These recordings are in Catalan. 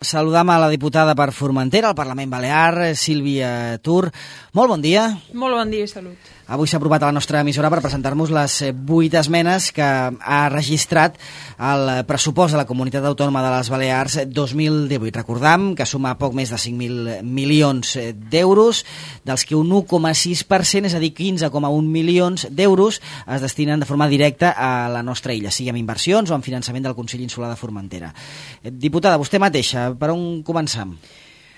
Saludam a la diputada per Formentera, al Parlament Balear, Sílvia Tur. Molt bon dia. Molt bon dia i salut. Avui s'ha aprovat a la nostra emissora per presentar-nos les 8 esmenes que ha registrat el pressupost de la Comunitat Autònoma de les Balears 2018. Recordam que suma poc més de 5.000 milions d'euros, dels que un 1,6%, és a dir, 15,1 milions d'euros, es destinen de forma directa a la nostra illa, sigui amb inversions o amb finançament del Consell Insular de Formentera. Diputada, vostè mateixa, per on començam?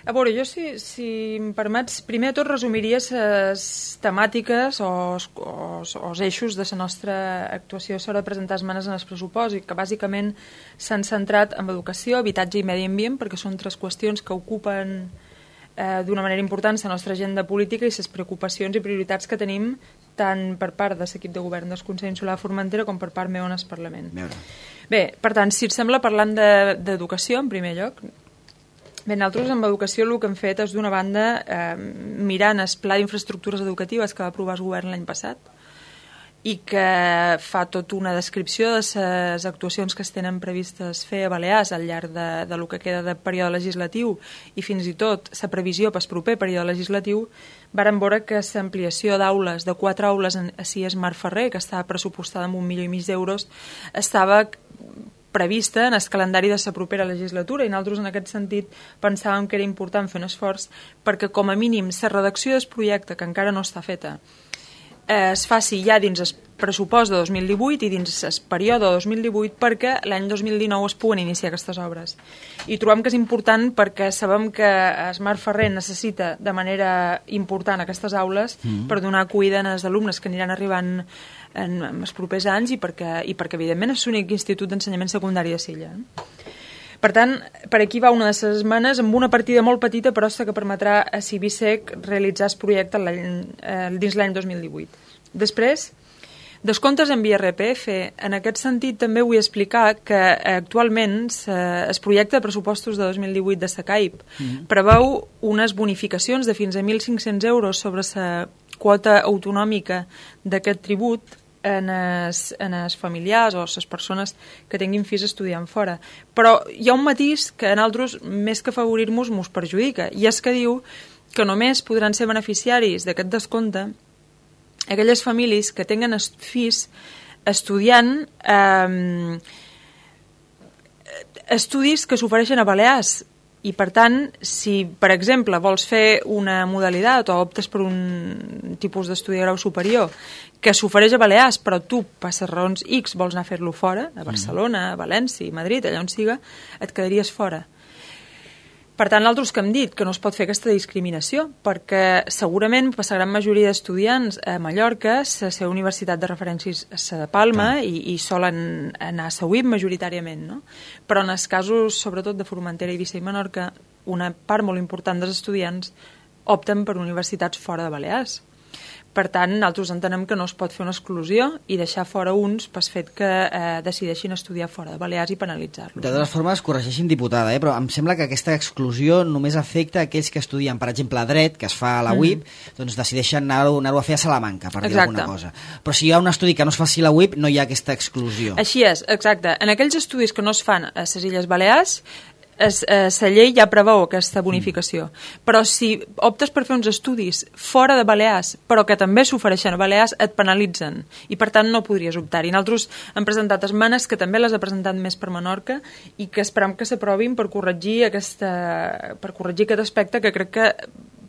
A veure, jo, si em permets, primer de tot resumiria les temàtiques o els eixos de la nostra actuació a l'hora de presentar esmenes en el pressupost, i que bàsicament s'han centrat en educació, habitatge i medi ambient, perquè són tres qüestions que ocupen d'una manera important la nostra agenda política i les preocupacions i prioritats que tenim tant per part de l'equip de govern del Consell Insular de Formentera com per part meu en el Parlament. Bé, per tant, si et sembla, parlant d'educació, en primer lloc. Bé, nosaltres amb educació el que hem fet és, d'una banda, mirant el Pla d'Infraestructures Educatives que va aprovar el govern l'any passat i que fa tota una descripció de les actuacions que es tenen previstes fer a Balears al llarg de lo que queda de període legislatiu i fins i tot la previsió per al proper període legislatiu. Vàrem veure que l'ampliació d'aules, de 4 aules a CIES Mar Ferrer, que estava pressupostada amb 1,5 milió d'euros, estava prevista en el calendari de la propera legislatura, i nosaltres en aquest sentit pensàvem que era important fer un esforç perquè com a mínim la redacció del projecte, que encara no està feta, es faci ja dins el pressupost de 2018 i dins el període de 2018 perquè l'any 2019 es puguen iniciar aquestes obres. I trobem que és important perquè sabem que Mar Ferrer necessita de manera important aquestes aules per donar acollida als alumnes que aniran arribant en els propers anys i perquè evidentment és l'únic institut d'ensenyament secundari de l'illa. Per tant, per aquí va una de les esmenes amb una partida molt petita, però que permetrà a Cibisec realitzar el projecte dins l'any 2018. Després, descomptes en IRPF. En aquest sentit també vull explicar que actualment el projecte de pressupostos de 2018 de SACAIP preveu unes bonificacions de fins a 1.500 euros sobre la quota autonòmica d'aquest tribut en els familiars o les persones que tinguin fills estudiant fora. Però hi ha un matís que a nosaltres, més que afavorir-nos, mos perjudica, i és que diu que només podran ser beneficiaris d'aquest descompte aquelles famílies que tinguen fills estudiant estudis que s'ofereixen a Balears. I, per tant, si, per exemple, vols fer una modalitat o optes per un tipus d'estudi de grau superior que s'ofereix a Balears, però tu, per les raons X, vols anar a fer-lo fora, a Barcelona, a València, a Madrid, allà on siga, et quedaries fora. Per tant, nosaltres que hem dit que no es pot fer aquesta discriminació, perquè segurament per la gran majoria d'estudiants a Mallorca la seva universitat de referència és la de Palma i solen anar a la UIB majoritàriament, no? Però en els casos, sobretot de Formentera, Eivissa i Menorca, una part molt important dels estudiants opten per universitats fora de Balears. Per tant, nosaltres entenem que no es pot fer una exclusió i deixar fora uns pel fet que decideixin estudiar fora de Balears i penalitzar-los. De totes formes, corregeixin, diputada, però em sembla que aquesta exclusió només afecta aquells que estudien, per exemple, dret, que es fa a la UIB, doncs decideixen anar-ho a fer a Salamanca, per dir alguna cosa. Però si hi ha un estudi que no es faci a la UIB, no hi ha aquesta exclusió. Així és, exacte. En aquells estudis que no es fan a les Illes Balears, la llei ja preveu aquesta bonificació, però si optes per fer uns estudis fora de Balears però que també s'ofereixen a Balears, et penalitzen i per tant no podries optar-hi. Nosaltres hem presentat esmenes que també les ha presentat més per Menorca i que esperem que s'aprovin per corregir aquest aspecte que crec que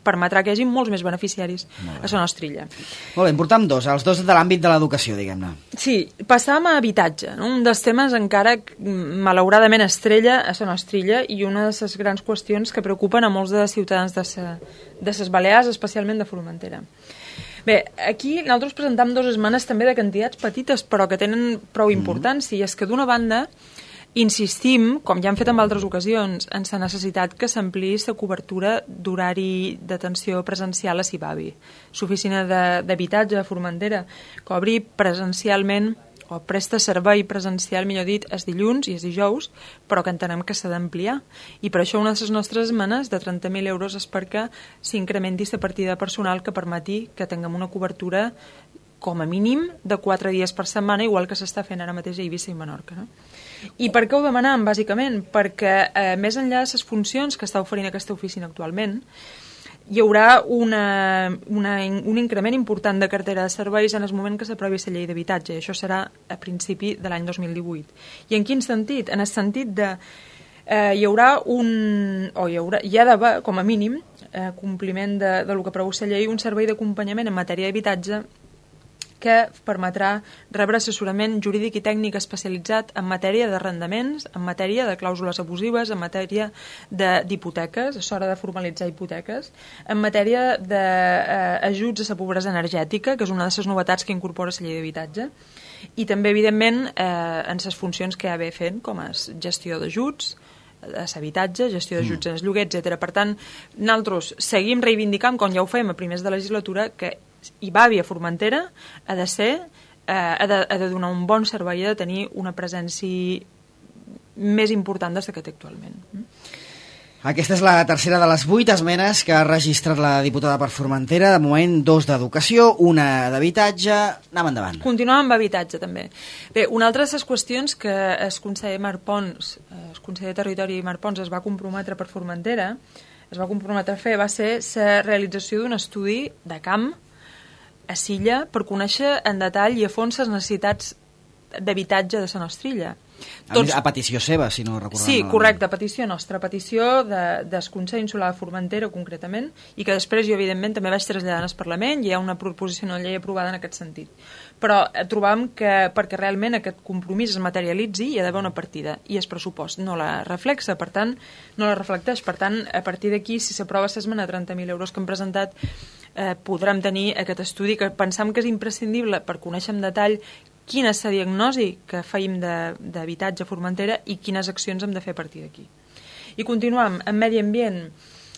permetrà que hi hagi molts més beneficiaris a la nostra illa. Molt bé, en portam els dos de l'àmbit de l'educació, diguem-ne. Sí, passàvem a habitatge, no? Un dels temes encara malauradament estrella a la nostra illa i una de les grans qüestions que preocupen a molts de ciutadans de les Balears, especialment de Formentera. Bé, aquí nosaltres presentam dues esmenes també de quantitats petites però que tenen prou importància, i és que d'una banda insistim, com ja hem fet en altres ocasions, en la necessitat que s'ampliï la cobertura d'horari d'atenció presencial a Cibavi, l'oficina d'habitatge de Formentera, que obri presencialment o presta servei presencial, millor dit, els dilluns i els dijous, però que entenem que s'ha d'ampliar. I per això una de les nostres esmenes de 30.000 euros és perquè s'incrementi la partida personal que permeti que tinguem una cobertura com a mínim de 4 dies per setmana, igual que s'està fent ara mateix a Eivissa i Menorca, no? I per què ho demanàvem, bàsicament? Perquè més enllà de les funcions que està oferint aquesta oficina actualment, hi haurà un increment important de cartera de serveis en el moment que s'aprovi la llei d'habitatge, i això serà a principi de l'any 2018. I en quin sentit? En el sentit de hi ha d'haver, com a mínim, compliment del que preveu la llei, un servei d'acompanyament en matèria d'habitatge que permetrà rebre assessorament jurídic i tècnic especialitzat en matèria d'arrendaments, en matèria de clàusules abusives, en matèria d'hipoteques, és hora de formalitzar hipoteques, en matèria d'ajuts a la pobresa energètica, que és una de les novetats que incorpora la llei d'habitatge, i també, evidentment, en les funcions que ja ve fent, com a gestió d'ajuts, a l'habitatge, gestió d'ajuts en el lloguer, etc. Per tant, nosaltres seguim reivindicant, com ja ho fem a primers de legislatura, que IBAVI a Formentera ha de donar un bon servei, ha de tenir una presència més important des que té actualment. Aquesta és la tercera de les 8 esmenes que ha registrat la diputada per Formentera. De moment, 2 d'educació, una d'habitatge. Anem endavant. Continuem amb habitatge, també. Bé, una altra de les qüestions que el conseller Marc Pons, el conseller de Territori Marc Pons, es va comprometre per Formentera, es va comprometre a fer, va ser la realització d'un estudi de camp a Silla per conèixer en detall i a fons les necessitats d'habitatge de la nostra illa. A petició seva, si no recordem. Sí, correcte, a petició nostra, a petició del Consell Insular de Formentera, concretament, i que després jo, evidentment, també vaig traslladar al Parlament, i hi ha una proposició de llei aprovada en aquest sentit. Però trobam que, perquè realment aquest compromís es materialitzi, hi ha d'haver una partida, i el pressupost no la reflexa, per tant, no la reflecteix. Per tant, a partir d'aquí, si s'aprova l'esmena de 30.000 euros que hem presentat, podrem tenir aquest estudi que pensam que és imprescindible per conèixer en detall quina és la diagnosi que feim d'habitatge a Formentera i quines accions hem de fer a partir d'aquí. I continuem, en medi ambient.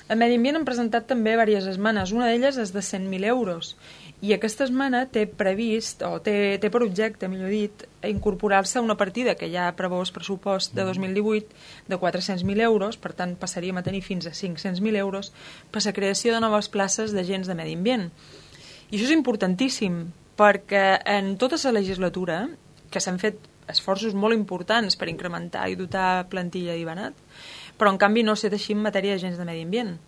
En medi ambient hem presentat també diverses esmenes. Una d'elles és de 100.000 euros. I aquesta esmena té previst, o té per objecte, millor dit, incorporar-se a una partida que ja preveu el pressupost de 2018 de 400.000 euros, per tant passaríem a tenir fins a 500.000 euros per la creació de noves places d'agents de medi ambient. I això és importantíssim, perquè en tota la legislatura, que s'han fet esforços molt importants per incrementar i dotar plantilla d'IBANAT, però en canvi no s'ha així en matèria d'agents de medi ambient.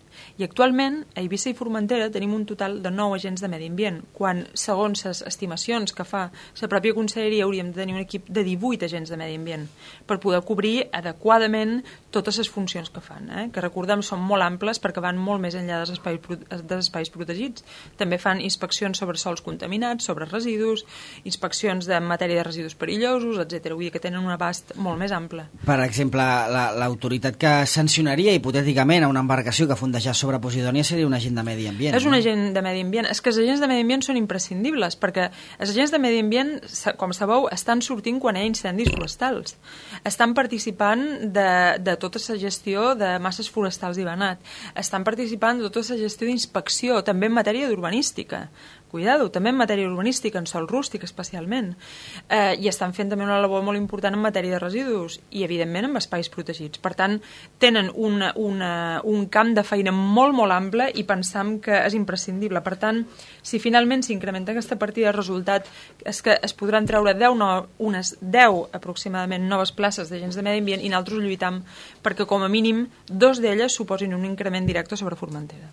I actualment, a Eivissa i Formentera tenim un total de 9 agents de medi ambient, quan, segons les estimacions que fa la pròpia conselleria, hauríem de tenir un equip de 18 agents de medi ambient per poder cobrir adequadament totes les funcions que fan, que recordem són molt amples perquè van molt més enllà dels espais protegits. També fan inspeccions sobre sols contaminats, sobre residus, inspeccions en matèria de residus perillosos, etc. Vull dir que tenen un abast molt més ample. Per exemple, l'autoritat que sancionaria hipotèticament a una embarcació que fundejà sobre Posidònia seria un agent de medi ambient. És un agent de medi ambient. És que els agents de medi ambient són imprescindibles, perquè els agents de medi ambient, com sabeu, estan sortint quan hi ha incendis forestals. Estan participant de tota la gestió de masses forestals d'IBANAT. Estan participant de tota la gestió d'inspecció, també en matèria d'urbanística. Cuidado, també en matèria urbanística, en sòl rústic especialment. I estan fent també una labor molt important en matèria de residus i, evidentment, en espais protegits. Per tant, tenen un camp de feina molt, molt ample i pensam que és imprescindible. Per tant, si finalment s'incrementa aquesta partida, el resultat és que es podran treure unes 10 aproximadament noves places d'agents de medi ambient i nosaltres lluitam perquè, com a mínim, 2 d'elles suposin un increment directe sobre Formentera.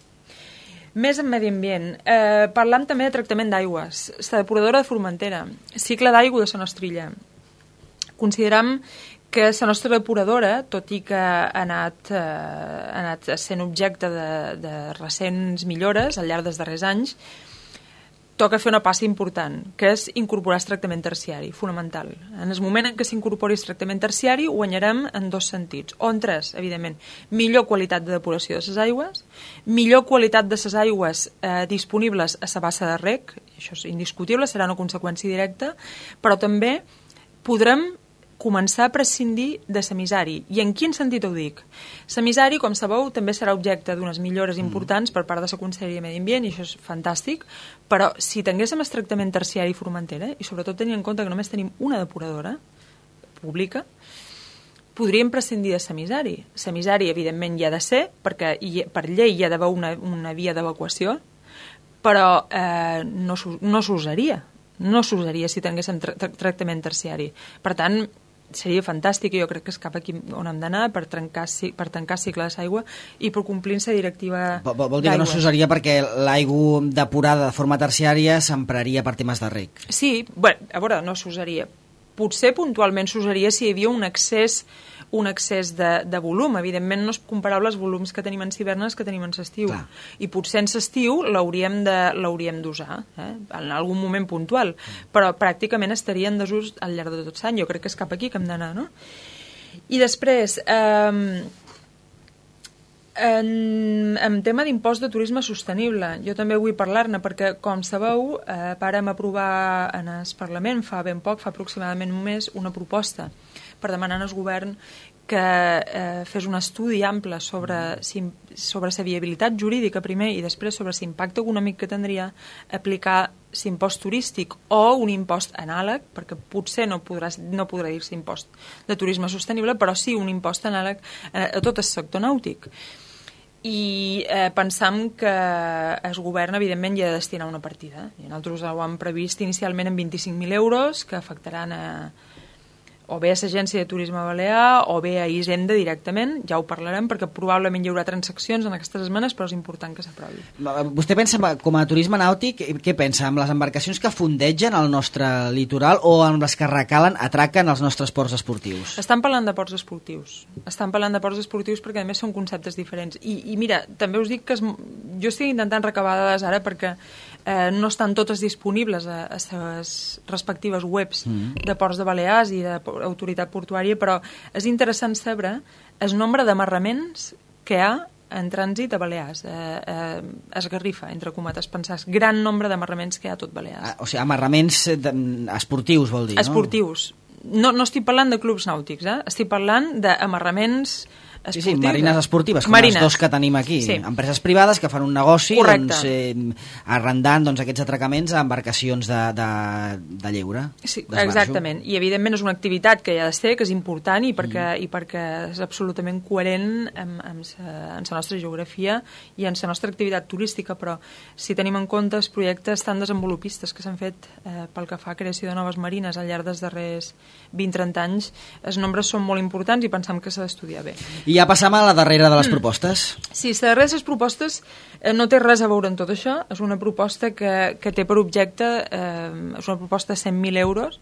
Més en medi ambient. Parlam també de tractament d'aigües. La depuradora de Formentera. Cicle d'aigua de la nostra illa. Consideram que la nostra depuradora, tot i que ha anat sent objecte de recents millores al llarg dels darrers anys, toca fer una passa important, que és incorporar el tractament terciari, fonamental. En el moment en què s'incorpori el tractament terciari, guanyarem en 2 sentits. O en 3, evidentment. Millor qualitat de depuració de les aigües, millor qualitat de les aigües disponibles a la bassa de reg, això és indiscutible, serà una conseqüència directa, però també podrem començar a prescindir de semissari. I en quin sentit ho dic? Semissari, com sabeu, també serà objecte d'unes millores importants per part de la Conselleria de Medi Ambient, i això és fantàstic, però si tinguéssim el tractament terciari a Formentera, i sobretot tenint en compte que només tenim una depuradora pública, podríem prescindir de semissari. Semissari, evidentment, hi ha de ser, perquè per llei hi ha d'haver una via d'evacuació, però no s'usaria. No s'usaria si tinguéssim tractament terciari. Per tant, seria fantàstic i jo crec que és cap aquí on hem d'anar per tancar cicles d'aigua i per complir-se directiva d'aigua. Vol dir que no s'usaria perquè l'aigua depurada de forma terciària s'empraria per temes de reg? Sí, bueno, a veure, no s'usaria. Potser puntualment s'usaria si hi havia un excés de volum. Evidentment no és comparable els volums que tenim en hivernes que tenim en estiu. I potser en estiu l'hauríem d'usar, en algun moment puntual, però pràcticament estaria en desús al llarg de tot l'any. Jo crec que és cap aquí que hem d'anar, no? I després, en tema d'impost de turisme sostenible, jo també vull parlar-ne perquè, com sabeu, vàrem aprovar en el Parlament fa ben poc, fa aproximadament un mes, una proposta per demanar al govern que fes un estudi ample sobre la viabilitat jurídica primer i després sobre l'impacte econòmic que tindria aplicar l'impost turístic o un impost anàleg, perquè potser no podrà dir-se impost de turisme sostenible, però sí un impost anàleg a tot el sector nàutic. I pensam que el govern, evidentment, hi ha de destinar una partida. I nosaltres ho hem previst inicialment en 25.000 euros, que afectaran o bé a l'Agència de Turisme Balear o bé a Hisenda directament, ja ho parlarem, perquè probablement hi haurà transaccions en aquestes esmenes, però és important que s'aprovi. Vostè pensa, com a turisme nàutic, què pensa? Amb les embarcacions que fondegen al nostre litoral o amb les que atraquen els nostres ports esportius? Estan parlant de ports esportius. Estan parlant de ports esportius perquè, a més, són conceptes diferents. I mira, també us dic que jo estic intentant recabar dades ara perquè no estan totes disponibles a les respectives webs de Ports de Balears i d'Autoritat Portuària, però és interessant saber el nombre d'amarraments que hi ha en trànsit a Balears. Es Garrifa, entre cometes, pensar, gran nombre d'amarraments que hi ha a tot Balears. O sigui, amarraments esportius, vol dir, no? Esportius. No estic parlant de clubs nàutics, estic parlant d'amarraments esportius. Sí, marines esportives, com les dos que tenim aquí. Sí. Empreses privades que fan un negoci arrendant aquests atracaments a embarcacions de lleure. Sí, exactament. I evidentment és una activitat que hi ha de ser, que és important i perquè és absolutament coherent amb la nostra geografia i amb la nostra activitat turística, però si tenim en compte els projectes tan desenvolupistes que s'han fet pel que fa a creació de noves marines al llarg dels darrers 20-30 anys, els nombres són molt importants i pensam que s'ha d'estudiar bé. I ja passam a la darrera de les propostes. Sí, la darrera de les propostes no té res a veure amb tot això. És una proposta que té per objecte, és una proposta de 100.000 euros,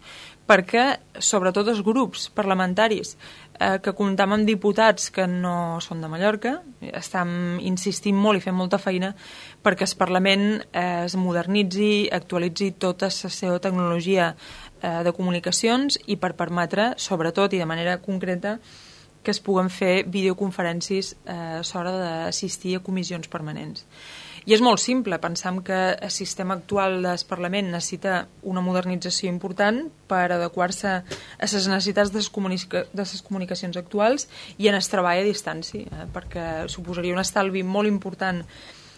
perquè, sobretot els grups parlamentaris que comptam amb diputats que no són de Mallorca, estem insistint molt i fent molta feina perquè el Parlament es modernitzi, actualitzi tota la seva tecnologia de comunicacions i per permetre, sobretot i de manera concreta, que es puguen fer videoconferències a l'hora d'assistir a comissions permanents. I és molt simple, pensam que el sistema actual del Parlament necessita una modernització important per adequar-se a les necessitats de les comunicacions actuals i en el treball a distància, perquè suposaria un estalvi molt important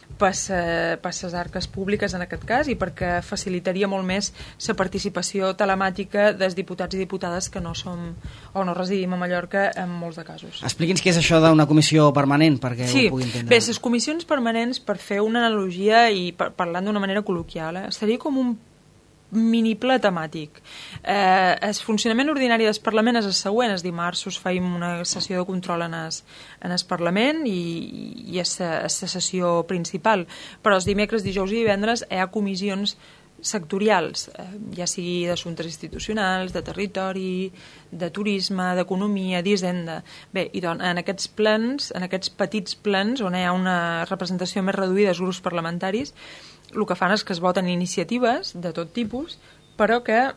per les arques públiques en aquest cas i perquè facilitaria molt més la participació telemàtica dels diputats i diputades que no som o no residim a Mallorca en molts de casos. Expliqui'ns què és això d'una comissió permanent perquè ho pugui entendre. Bé, les comissions permanents, per fer una analogia i parlant d'una manera col·loquial, seria com un mini ple temàtic. El funcionament ordinari del Parlament és el següent. Els dimarts us feim una sessió de control en el Parlament i és la sessió principal, però els dimecres, dijous i divendres hi ha comissions sectorials, ja sigui d'assumptes institucionals, de territori, de turisme, d'economia, d'hisenda. Bé, i doncs, en aquests plens, en aquests petits plens on hi ha una representació més reduïda dels grups parlamentaris, el que fan és que es voten iniciatives de tot tipus, però que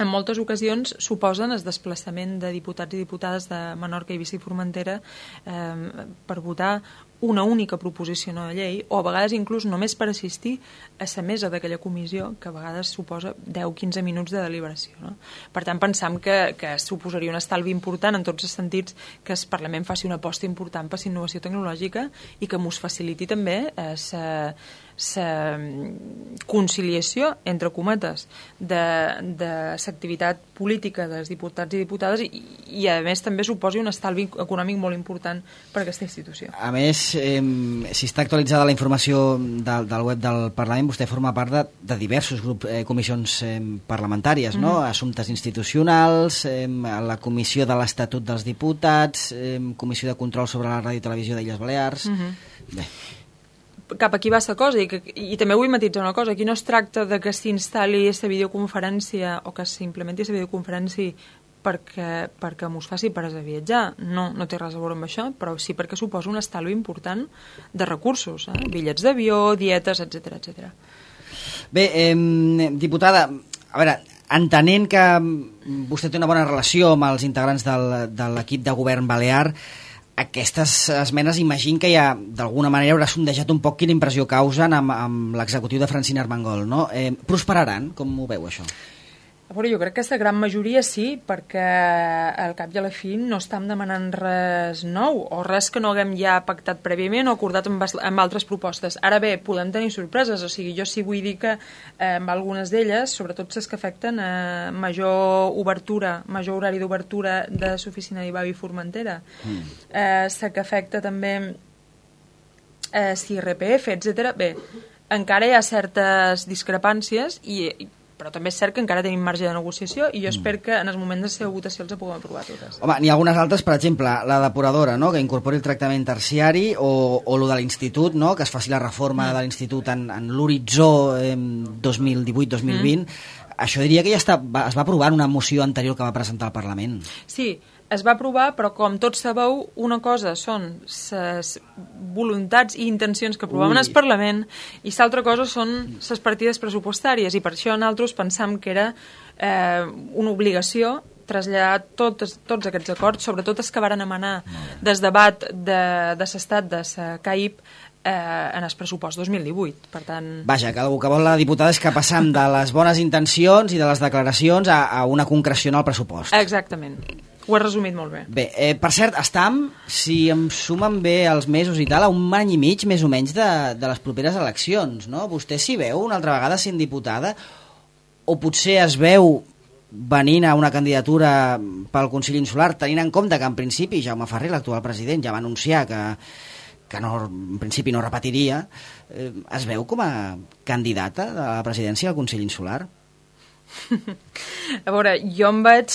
en moltes ocasions suposen el desplaçament de diputats i diputades de Menorca, Eivissa i Formentera per votar una única proposició de llei, o a vegades inclús només per assistir a la mesa d'aquella comissió, que a vegades suposa 10-15 minuts de deliberació. No? Per tant, pensam que suposaria un estalvi important en tots els sentits que el Parlament faci una aposta important per la innovació tecnològica i que mos faciliti també la conciliació, entre cometes, de l'activitat política dels diputats i diputades i a més també suposi un estalvi econòmic molt important per a aquesta institució. A més, si està actualitzada la informació del web del Parlament, vostè forma part de diversos grups, comissions parlamentàries, no? Assumptes institucionals, la Comissió de l'Estatut dels Diputats, Comissió de Control sobre la Ràdio i Televisió d'Illes Balears... Bé. Cap aquí va la cosa, i també vull matitzar una cosa, aquí no es tracta de que s'instal·li aquesta videoconferència o que s'implementi aquesta videoconferència perquè mos faci pares a viatjar. No té res a veure amb això, però sí perquè suposa un estalvi important de recursos, bitllets d'avió, dietes, etc. Bé, diputada, a veure, entenent que vostè té una bona relació amb els integrants de l'equip de govern balear, aquestes esmenes imagino que ja d'alguna manera haurà sondejat un poc quina impressió causen amb l'executiu de Francina Armengol, no? Prosperaran? Com ho veu, això? A veure, jo crec que aquesta gran majoria sí, perquè al cap i a la fi no estem demanant res nou o res que no haguem ja pactat prèviament o acordat amb altres propostes. Ara bé, podem tenir sorpreses, o sigui, jo sí vull dir que amb algunes d'elles, sobretot les que afecten a major obertura, major horari d'obertura de l'oficina d'IVAB i Formentera, la que afecta també IRPF, etc. Bé, encara hi ha certes discrepàncies però també és cert que encara tenim marge de negociació i jo espero que en el moment de la seva votació els puguem aprovar totes. Home, n'hi ha algunes altres, per exemple, la depuradora, no?, que incorpori el tractament terciari o lo de l'institut, no?, que es faci la reforma de l'institut en l'horitzó 2018-2020. Això diria que ja es va aprovar en una moció anterior que va presentar al Parlament. Sí, es va aprovar, però com tots sabeu, una cosa són les voluntats i intencions que aprovàvem al Parlament i l'altra cosa són les partides pressupostàries, i per això nosaltres pensam que era una obligació traslladar tots aquests acords, sobretot els que varen emanar des debat de l'estat de la CAIP en el pressupost 2018. Per tant... Vaja, que el que vol la diputada és que passam de les bones intencions i de les declaracions a una concreció en el pressupost. Exactament. Ho has resumit molt bé. Bé, per cert, estam, si em sumen bé els mesos i tal, a un any i mig, més o menys, de les properes eleccions, no? Vostè s'hi veu una altra vegada sent diputada? O potser es veu venint a una candidatura pel Consell Insular, tenint en compte que en principi Jaume Ferrer, l'actual president, ja va anunciar que no, en principi no repetiria, es veu com a candidata de la presidència del Consell Insular? A veure, jo em veig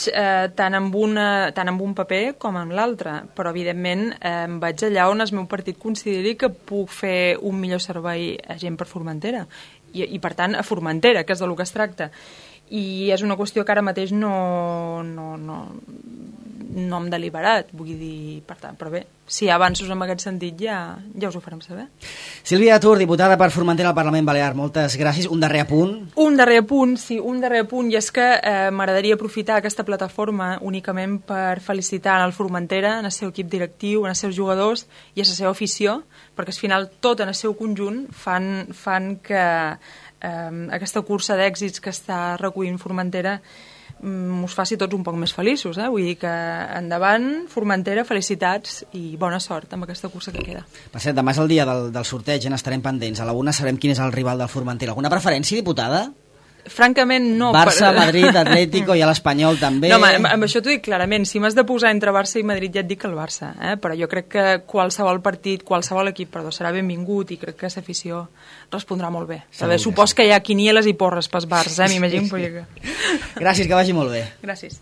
tant amb un paper com amb l'altre, però evidentment em vaig allà on el meu partit consideri que puc fer un millor servei a gent per Formentera i per tant a Formentera, que és del que es tracta, i és una qüestió que ara mateix no hem deliberat, vull dir, per tant, però bé, si hi ha avanços en aquest sentit ja us ho farem saber. Sílvia Tur, diputada per Formentera al Parlament Balear, moltes gràcies. Un darrer apunt? Un darrer apunt, i és que m'agradaria aprofitar aquesta plataforma únicament per felicitar el Formentera, en el seu equip directiu, en els seus jugadors i a la seva afició, perquè al final tot en el seu conjunt fan que aquesta cursa d'èxits que està recollint Formentera us faci tots un poc més feliços, vull dir que endavant, Formentera, felicitats i bona sort amb aquesta cursa que queda. Per cert, demà és el dia del sorteig, n'estarem pendents. A la 1 sabrem quin és el rival del Formentera. Alguna preferència, diputada? Francament, no. Barça, Madrid, Atlético i l'Espanyol també. No, amb això t'ho dic clarament. Si m'has de posar entre Barça i Madrid ja et dic el Barça, però jo crec que qualsevol partit, qualsevol equip, serà benvingut i crec que l'afició respondrà molt bé. Supos que hi ha quinieles i porres pels bars, m'imagino. Gràcies, que vagi molt bé. Gràcies.